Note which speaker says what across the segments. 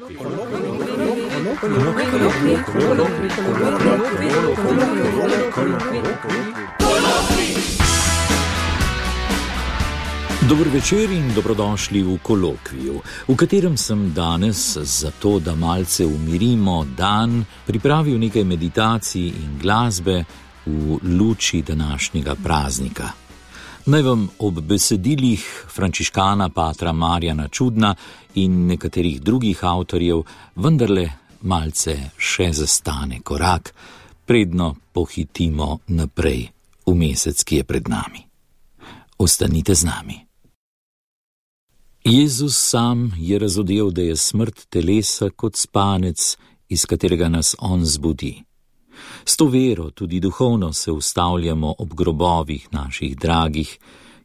Speaker 1: Dober večer in dobrodošli v kolokviju, v katerem sem danes, zato da malce umirimo dan, pripravil nekaj meditacij in glasbe v luči današnjega praznika. Naj vam ob besedilih frančiškana patra Marjana Čudna in nekaterih drugih avtorjev vendarle malce še zastane korak, predno pohitimo naprej v mesec, ki je pred nami. Ostanite z nami. Jezus sam je razodel, da je smrt telesa kot spanec, iz katerega nas on zbudi. S to vero tudi duhovno se ustavljamo ob grobovih naših dragih,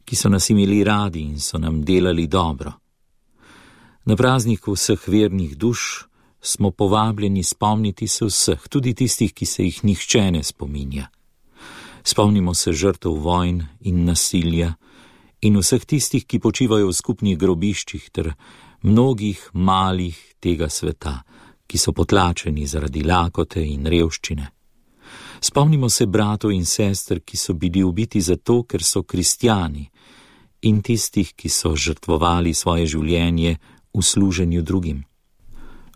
Speaker 1: ki so nas imeli radi in so nam delali dobro. Na prazniku vseh vernih duš smo povabljeni spomniti se vseh, tudi tistih, ki se jih nihče ne spominja. Spomnimo se žrtev vojn in nasilja in vseh tistih, ki počivajo v skupnih grobiščih ter mnogih malih tega sveta, ki so potlačeni zaradi lakote in revščine. Spomnimo se bratov in sester, ki so bili ubiti zato, ker so kristjani, in tistih, ki so žrtvovali svoje življenje v služenju drugim.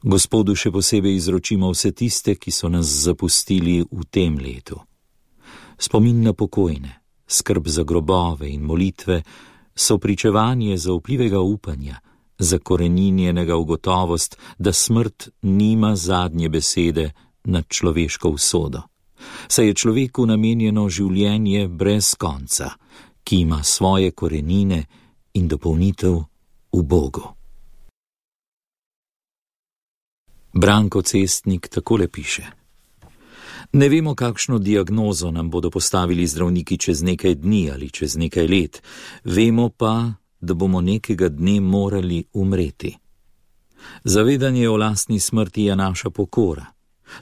Speaker 1: Gospodu še posebej izročimo vse tiste, ki so nas zapustili v tem letu. Spomin na pokojne, skrb za grobove in molitve so pričevanje zaupljivega upanja, zakoreninjenega v gotovost, da smrt nima zadnje besede nad človeško usodo. Saj je človeku namenjeno življenje brez konca, ki ima svoje korenine in dopolnitev v Bogu. Branko Cestnik takole piše: Ne vemo, kakšno diagnozo nam bodo postavili zdravniki čez nekaj dni ali čez nekaj let, vemo pa, da bomo nekega dne morali umreti. Zavedanje o lastni smrti je naša pokora.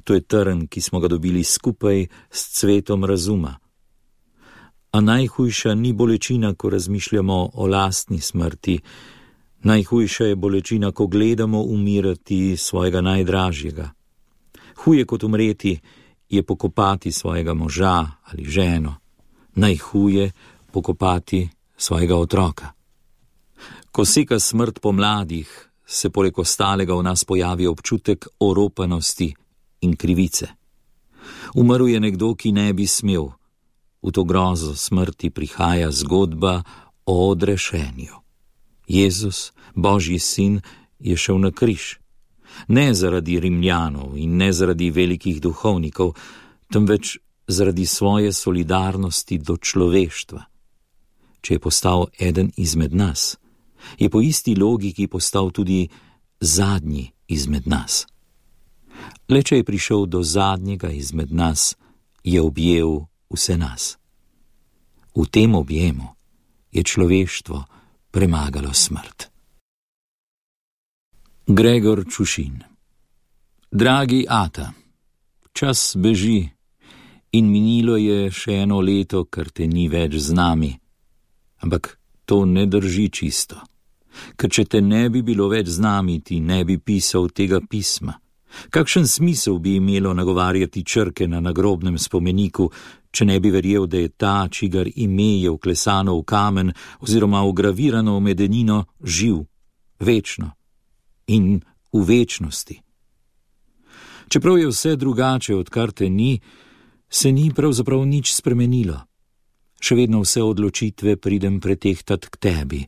Speaker 1: To je trn, ki smo ga dobili skupaj s cvetom razuma. A najhujša ni bolečina, ko razmišljamo o lastni smrti. Najhujša je bolečina, ko gledamo umirati svojega najdražjega. Huje kot umreti je pokopati svojega moža ali ženo. Najhuje pokopati svojega otroka. Ko seka smrt po mladih, se poleg ostalega v nas pojavi občutek oropanosti in krivice. Umrl je nekdo, ki ne bi smel. V to grozo smrti prihaja zgodba o odrešenju. Jezus, Božji sin, je šel na križ. Ne zaradi Rimljanov in ne zaradi velikih duhovnikov, temveč zaradi svoje solidarnosti do človeštva. Če je postal eden izmed nas, je po isti logiki postal tudi zadnji izmed nas. Le če je prišel do zadnjega izmed nas, je objel vse nas. V tem objemu je človeštvo premagalo smrt. Gregor Čušin. Dragi ata, čas beži in minilo je še eno leto, ker te ni več z nami. Ampak to ne drži čisto. Ker če te ne bi bilo več z nami, ti ne bi pisal tega pisma. Kakšen smisel bi imelo nagovarjati črke na nagrobnem spomeniku, če ne bi verjel, da je ta, čigar ime je vklesano v kamen oziroma vgravirano v medenino, živ, večno in v večnosti. Čeprav je vse drugače, odkar te ni, se ni pravzaprav nič spremenilo. Še vedno vse odločitve pridem pretehtat k tebi.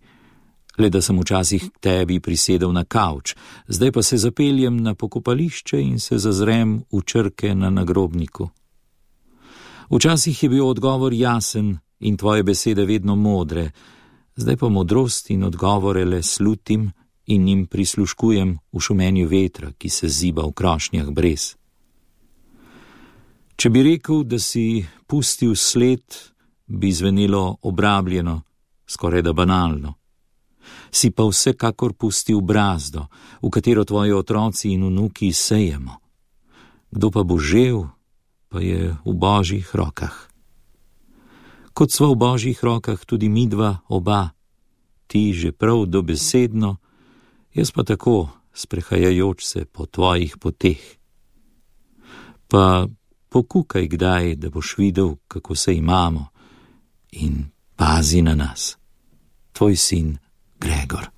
Speaker 1: Le da sem včasih k tebi prisedel na kavč, zdaj pa se zapeljem na pokopališče in se zazrem v črke na nagrobniku. Včasih je bil odgovor jasen in tvoje besede vedno modre, zdaj pa modrost in odgovore le slutim in jim prisluškujem v šumenju vetra, ki se ziba v krošnjah brez. Če bi rekel, da si pustil sled, bi zvenelo obrabljeno, skoraj da banalno. Si pa vsekakor pustil brazdo, v katero tvoji otroci in vnuki sejemo. Kdo pa bo žel, pa je v Božjih rokah. Kot sva v Božjih rokah tudi midva oba, ti že prav dobesedno, jaz pa tako, sprehajajoč se po tvojih poteh. Pa pokukaj kdaj, da boš videl, kako se imamo, in pazi na nas. Tvoj sin Gregor.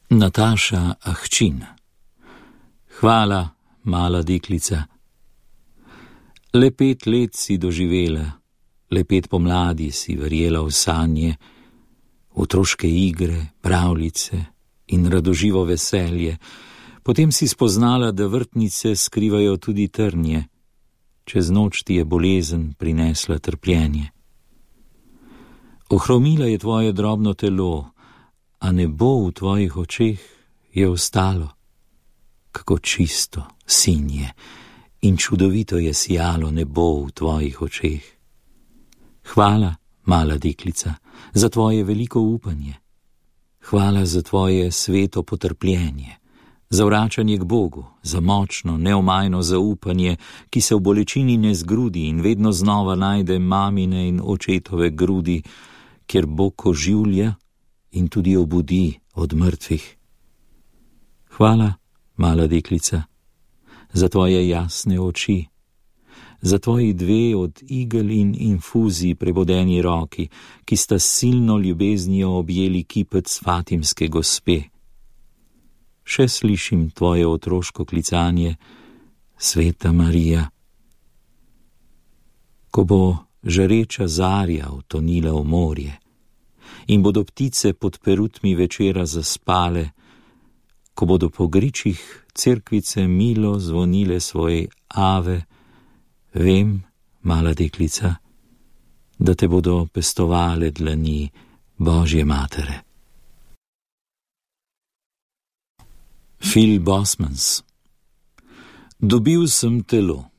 Speaker 1: Nataša Ahčin. Hvala, mala deklica. Le 5 let si doživela, le 5 pomladi si verjela v sanje, otroške igre, pravljice in radoživo veselje. Potem si spoznala, da vrtnice skrivajo tudi trnje. Čez noč ti je bolezen prinesla trpljenje. Ohromila je tvoje drobno telo, a nebo v tvojih očeh je ostalo. Kako čisto, sinje in čudovito je sijalo nebo v tvojih očeh. Hvala, mala deklica, za tvoje veliko upanje. Hvala za tvoje sveto potrpljenje, za vračanje k Bogu, za močno, neomajno zaupanje, ki se v bolečini ne zgrudi in vedno znova najde mamine in očetove grudi, kjer Bog oživlja in tudi obudi od mrtvih. Hvala, mala deklica, za tvoje jasne oči, za tvoji 2 od igel in infuzij prebodeni roki, ki sta silno ljubeznijo objeli kipec fatimske gospe. Še slišim tvoje otroško klicanje, Sveta Marija. Ko bo žareča zarja utonila v morje in bodo ptice pod perutmi večera zaspale, ko bodo po gričih cerkvice milo zvonile svoj ave, vem, mala deklica, da te bodo pestovale dlani Božje matere. Phil Bosmans. Dobil sem telo,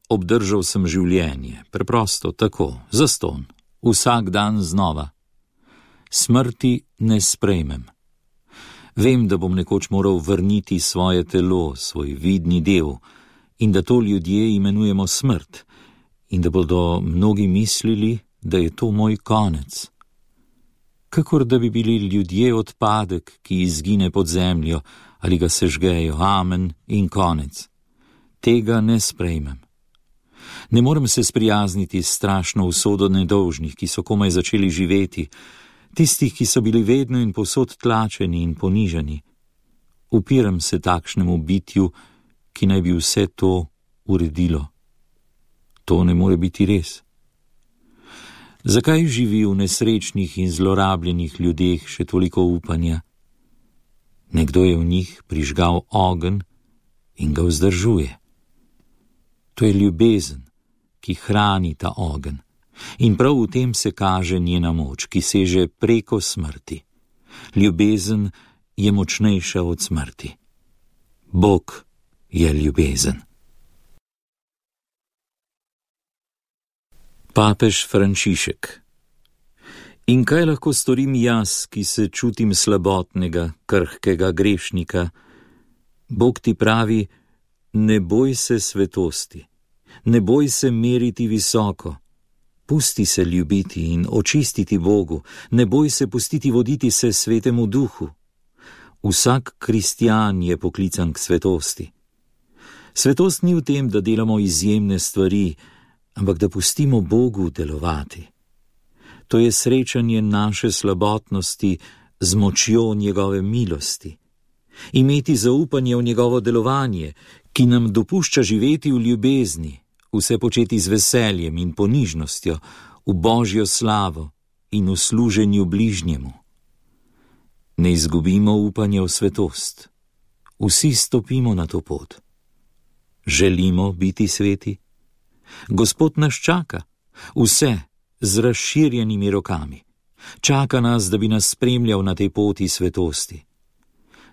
Speaker 1: obdržal sem življenje, preprosto tako, zastonj, vsak dan znova. Smrti ne sprejmem. Vem, da bom nekoč moral vrniti svoje telo, svoj vidni del, in da to ljudje imenujemo smrt, in da bodo mnogi mislili, da je to moj konec. Kakor da bi bili ljudje odpadek, ki izgine pod zemljo, ali ga sežgejo, amen in konec. Tega ne sprejmem. Ne morem se sprijazniti s strašno usodo nedolžnih, ki so komaj začeli živeti, tistih, ki so bili vedno in povsod tlačeni in ponižani. Upiram se takšnemu bitju, ki naj bi vse to uredilo. To ne more biti res. Zakaj živi v nesrečnih in zlorabljenih ljudeh še toliko upanja? Nekdo je v njih prižgal ogenj in ga vzdržuje. To je ljubezen, ki hrani ta ogenj. In prav v tem se kaže njena moč, ki seže preko smrti. Ljubezen je močnejša od smrti. Bog je ljubezen. Papež Frančišek. In kaj lahko storim jaz, ki se čutim slabotnega, krhkega grešnika? Bog ti pravi, ne boj se svetosti, ne boj se meriti visoko, pusti se ljubiti in očistiti Bogu, ne boj se pustiti voditi se Svetemu Duhu. Vsak kristjan je poklican k svetosti. Svetost ni v tem, da delamo izjemne stvari, ampak da pustimo Bogu delovati. To je srečanje naše slabotnosti z močjo njegove milosti. Imeti zaupanje v njegovo delovanje, ki nam dopušča živeti v ljubezni, vse početi z veseljem in ponižnostjo, v Božjo slavo in v služenju bližnjemu. Ne izgubimo upanja v svetost. Vsi stopimo na to pot. Želimo biti sveti? Gospod nas čaka, vse z razširjenimi rokami. Čaka nas, da bi nas spremljal na tej poti svetosti.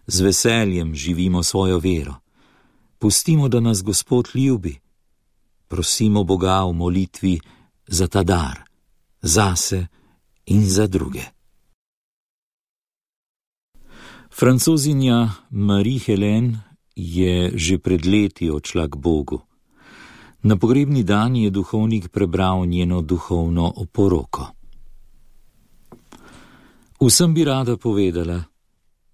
Speaker 1: Z veseljem živimo svojo vero. Pustimo, da nas Gospod ljubi. Prosimo Boga v molitvi za ta dar, zase in za druge. Francozinja Marie-Hélène je že pred leti odšla k Bogu. Na pogrebni dan je duhovnik prebral njeno duhovno oporoko. Vsem bi rada povedala,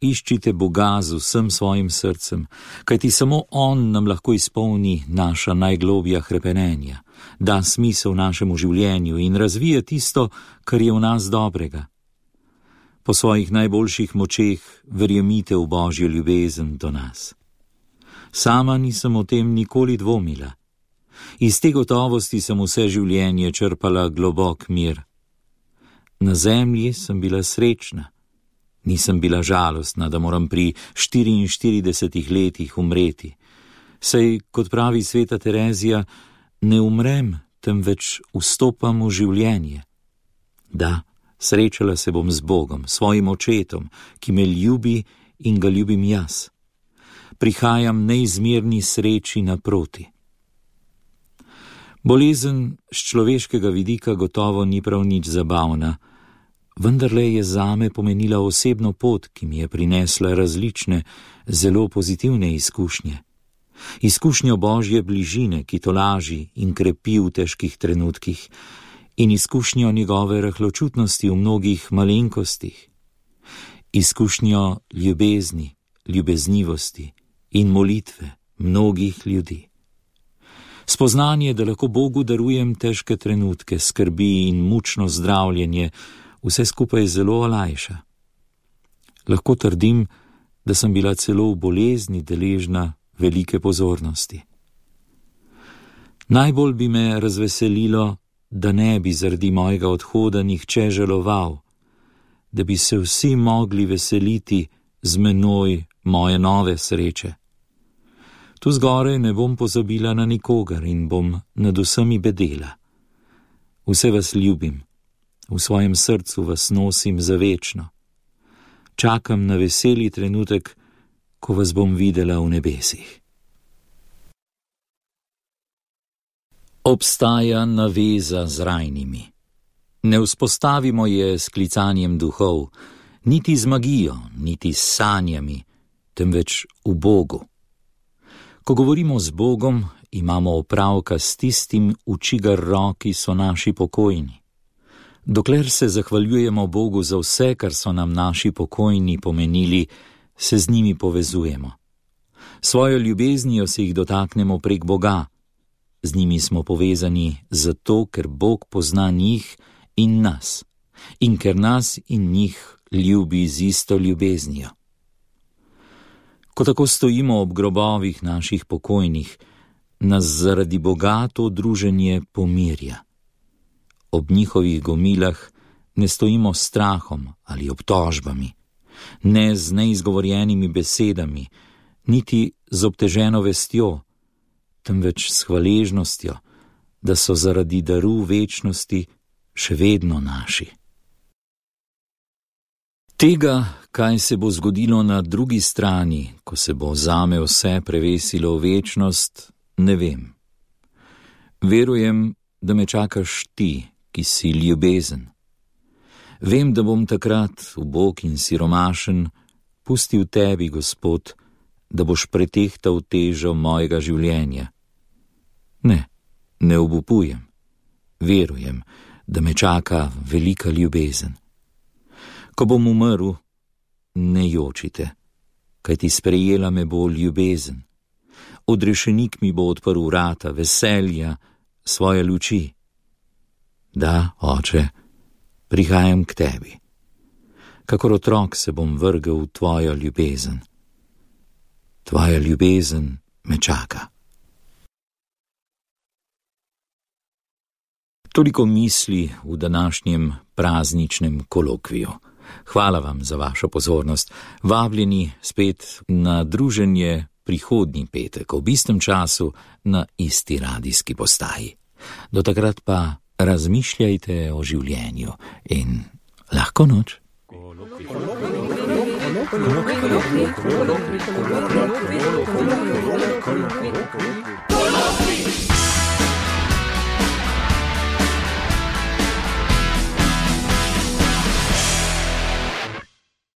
Speaker 1: iščite Boga z vsem svojim srcem, kajti samo On nam lahko izpolni naša najglobja hrepenenja, da smisel našemu življenju in razvije tisto, kar je v nas dobrega. Po svojih najboljših močeh verjemite v Božjo ljubezen do nas. Sama nisem o tem nikoli dvomila. Iz te gotovosti sem vse življenje črpala globok mir. Na zemlji sem bila srečna. Nisem bila žalostna, da moram pri 44 letih umreti. Saj, kot pravi sveta Terezija, ne umrem, temveč vstopam v življenje. Da, srečala se bom z Bogom, svojim očetom, ki me ljubi in ga ljubim jaz. Prihajam neizmerni sreči naproti. Bolezen z človeškega vidika gotovo ni prav nič zabavna, vendarle je zame pomenila osebno pot, ki mi je prinesla različne, zelo pozitivne izkušnje. Izkušnjo Božje bližine, ki tolaži in krepi v težkih trenutkih, in izkušnjo njegove rahločutnosti v mnogih malenkostih. Izkušnjo ljubezni, ljubeznivosti in molitve mnogih ljudi. Spoznanje, da lahko Bogu darujem težke trenutke, skrbi in mučno zdravljenje, vse skupaj zelo olajša. Lahko trdim, da sem bila celo v bolezni deležna velike pozornosti. Najbolj bi me razveselilo, da ne bi zaradi mojega odhoda nihče žaloval, da bi se vsi mogli veseliti z menoj moje nove sreče. Tu zgoraj ne bom pozabila na nikogar in bom nad vsemi bedela. Vse vas ljubim, v svojem srcu vas nosim za večno. Čakam na veseli trenutek, ko vas bom videla v nebesih. Obstaja naveza z rajnimi. Ne vzpostavimo je s klicanjem duhov, niti z magijo, niti s sanjami, temveč v Bogu. Ko govorimo z Bogom, imamo opravka s tistim, v čigar roki so naši pokojni. Dokler se zahvaljujemo Bogu za vse, kar so nam naši pokojni pomenili, se z njimi povezujemo. Svojo ljubeznijo se jih dotaknemo prek Boga. Z njimi smo povezani zato, ker Bog pozna njih in nas, in ker nas in njih ljubi z isto ljubeznijo. Ko tako stojimo ob grobovih naših pokojnih, nas zaradi Boga to druženje pomirja. Ob njihovih gomilah ne stojimo s strahom ali obtožbami, ne z neizgovorjenimi besedami, niti z obteženo vestjo, temveč s hvaležnostjo, da so zaradi daru večnosti še vedno naši. Tega, kaj se bo zgodilo na drugi strani, ko se bo zame vse prevesilo v večnost, ne vem. Verujem, da me čakaš ti, ki si ljubezen. Vem, da bom takrat, ubog in siromašen, pustil tebi, Gospod, da boš pretehtal težo mojega življenja. Ne obupujem. Verujem, da me čaka velika ljubezen. Ko bom umrl, ne jočite, kajti sprejela me bo ljubezen. Odrešenik mi bo odprl vrata veselja, svoje luči. Da, Oče, prihajam k tebi. Kakor otrok se bom vrgel v tvojo ljubezen. Tvoja ljubezen me čaka. Toliko misli v današnjem prazničnem kolokviju. Hvala vam za vašo pozornost. Vabljeni spet na druženje prihodnji petek ob istem času na isti radijski postaji. Do takrat pa razmišljajte o življenju in lahko noč. Kolokvij.